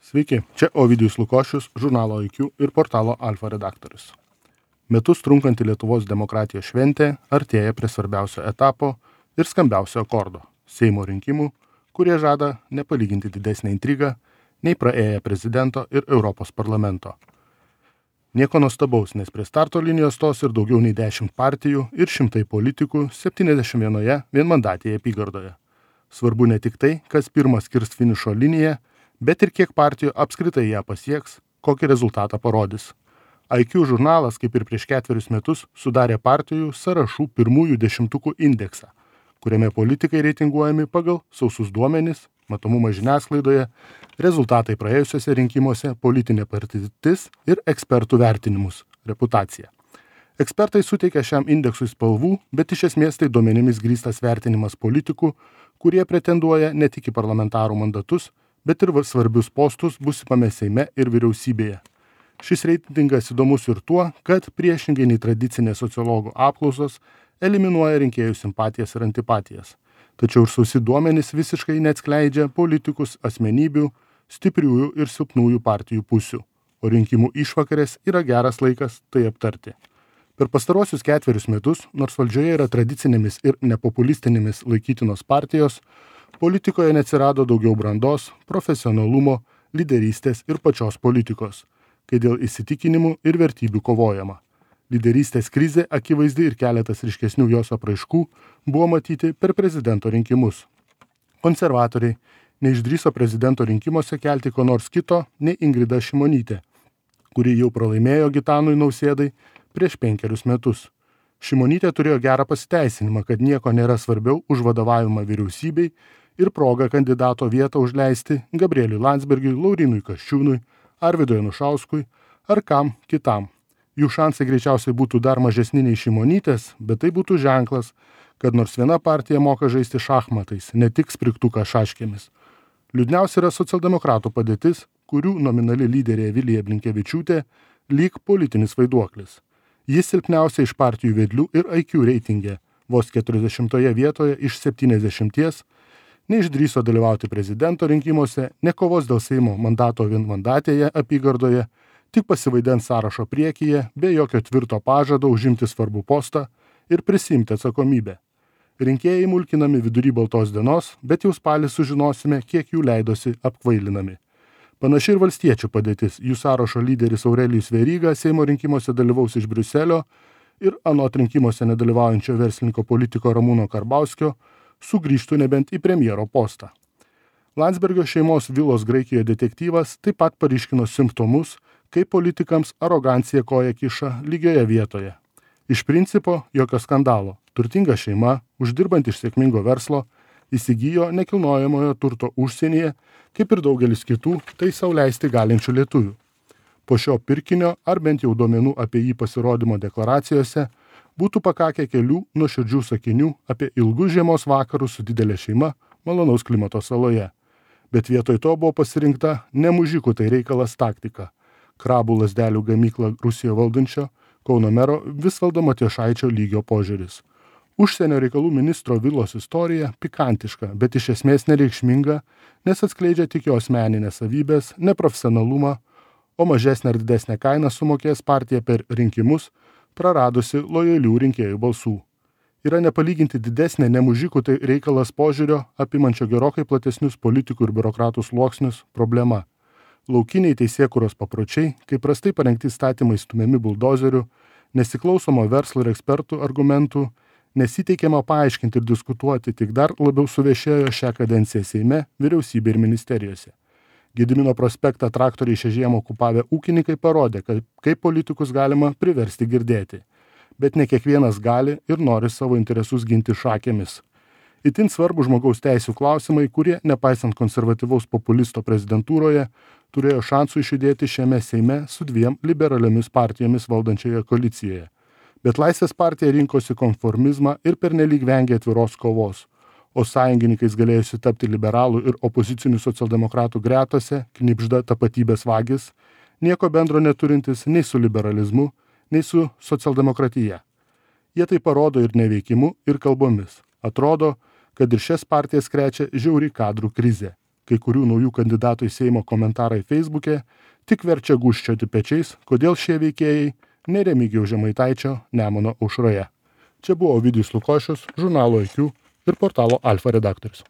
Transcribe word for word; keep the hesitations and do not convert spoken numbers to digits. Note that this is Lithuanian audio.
Sveiki, čia Ovidijus Lukošius, žurnalo I Q ir portalo Alfa redaktorius. Metus trunkanti Lietuvos demokratijos šventė artėja prie svarbiausio etapo ir skambiausio akordo – Seimo rinkimų, kurie žada nepalyginti didesnę intrigą nei praėję prezidento ir Europos parlamento. Nieko nuostabaus, nes prie starto linijos stos ir daugiau nei dešimt partijų ir šimtai politikų septyniasdešimt vienoje vienmandatėje apygardoje. Svarbu ne tik tai, kas pirmas kirs finišo liniją, bet ir kiek partijų apskritai ją pasieks, kokį rezultatą parodys. I Q žurnalas, kaip ir prieš ketverius metus, sudarė partijų sąrašų pirmųjų dešimtukų indeksą, kuriame politikai reitinguojami pagal sausus duomenis, matomumą žiniasklaidoje, rezultatai praėjusiuose rinkimuose, politinė patirtis ir ekspertų vertinimus, reputacija. Ekspertai suteikia šiam indeksui spalvų, bet iš esmės tai duomenimis grįstas vertinimas politikų, kurie pretenduoja ne tik į parlamentarų mandatus, bet ir svarbius postus būsimame Seime ir vyriausybėje. Šis reitingas įdomus ir tuo, kad priešingai nei tradicinės sociologų apklausos eliminuoja rinkėjų simpatijas ir antipatijas. Tačiau ir sausi duomenys visiškai neatskleidžia politikus asmenybių, stipriųjų ir silpnųjų partijų pusių, o rinkimų išvakarės yra geras laikas tai aptarti. Per pastaruosius ketverius metus, nors valdžioje yra tradicinėmis ir nepopulistinėmis laikytinos partijos, politikoje neatsirado daugiau brandos, profesionalumo, lyderystės ir pačios politikos, kai dėl įsitikinimų ir vertybių kovojama. Lyderystės krizė akivaizdi ir keletas ryškesnių jos apraiškų buvo matyti per prezidento rinkimus. Konservatoriai neišdrįso prezidento rinkimuose kelti ko nors kito nei Ingrida Šimonytė, kuri jau pralaimėjo Gitanui Nausėdai prieš penkerius metus. Šimonytė turėjo gerą pasiteisinimą, kad nieko nėra svarbiau už vadovavimą vyriausybei ir progą kandidato vietą užleisti Gabrieliui Landsbergiui, Laurynui Kasčiūnui, Arvydui Anušauskui ar kam kitam. Jų šansai greičiausiai būtų dar mažesni nei Šimonytės, bet tai būtų ženklas, kad nors viena partija moka žaisti šachmatais, ne tik sprigtuką šaškėmis. Liūdniausia yra socialdemokratų padėtis, kurių nominali lyderė Vilija Blinkevičiūtė lyg politinis vaiduoklis. Jis silpniausia iš partijų vedlių ir I Q reitinge, vos keturiasdešimtoje vietoje iš septyniasdešimties, neišdrįso dalyvauti prezidento rinkimuose, nekovos dėl Seimo mandato vienmandatėje apygardoje, tik pasivaidens sąrašo priekyje, be jokio tvirto pažado užimti svarbų postą ir prisimti atsakomybę. Rinkėjai mulkinami vidury baltos dienos, bet jau spalį sužinosime, kiek jų leidosi apkvailinami. Panaši ir valstiečių padėtis. Jų sąrašo lyderis Aurelijus Veryga Seimo rinkimuose dalyvaus iš Briuselio ir anot rinkimuose nedalyvaujančio verslininko politiko Ramūno Karbauskio sugrįžtų nebent į premjero postą. Landsbergio šeimos vilos Graikijoje detektyvas taip pat paryškino simptomus, kaip politikams arogancija koja kiša lygioje vietoje. Iš principo jokio skandalo. Turtinga šeima, uždirbant iš sėkmingo verslo, įsigijo nekilnojamojo turto užsienyje, kaip ir daugelis kitų, tai sau leisti galinčių lietuvių. Po šio pirkinio, ar bent jau duomenų apie jį pasirodymo deklaracijose, būtų pakakę kelių nuoširdžių sakinių apie ilgus žiemos vakarus su didelė šeima malonaus klimato saloje. Bet vietoj to buvo pasirinkta ne mužikų tai reikalas taktika. Krabų lazdelių gamyklą Rusijoje valdančio Kauno mero Visvaldo Matijošaičio lygio požiūris. Užsienio reikalų ministro vilos istorija pikantiška, bet iš esmės nereikšminga, nes atskleidžia tik jo asmeninės savybės, neprofesionalumą, o mažesnę ar didesnę kainą sumokės partija per rinkimus, praradusi lojalių rinkėjų balsų. Yra nepalyginti didesnė nemužikų tai reikalas požiūrio, apimančio gerokai platesnius politikų ir biurokratų sluoksnius, problema. Laukiniai teisėkūros papročiai, kaip prastai parengti įstatymai stumiami buldozerių, nesiklausomo verslo ir ekspertų argumentų, nesiteikiama paaiškinti ir diskutuoti, tik dar labiau suvešėjo šią kadenciją Seime, vyriausybė ir ministerijose. Gedimino prospektą traktoriai šią žiemą okupavę ūkininkai parodė, kad kaip politikus galima priversti girdėti. Bet ne kiekvienas gali ir nori savo interesus ginti šakėmis. Itin svarbu žmogaus teisių klausimai, kurie, nepaisant konservatyvaus populisto prezidentūroje, turėjo šansų išjudėti šiame Seime su dviem liberaliomis partijomis valdančioje koalicijoje. Bet Laisvės partija rinkosi konformizmą ir pernelyg vengė atviros kovos, o sąjungininkais galėjusi tapti liberalų ir opozicinių socialdemokratų gretose, knibžda tapatybės vagis, nieko bendro neturintis nei su liberalizmu, nei su socialdemokratija. Jie tai parodo ir neveikimu, ir kalbomis. Atrodo, kad ir šias partijas krečia žiauri kadrų krizė. kai kurių naujų kandidatų į Seimo komentarai Facebook'e tik verčia gūžčioti pečiais, kodėl šie veikėjai ne Remigijaus Žemaitaičio Nemuno aušroje. Čia buvo Ovidijus Lukošius, žurnalo I Q ir portalo Alfa redaktorius.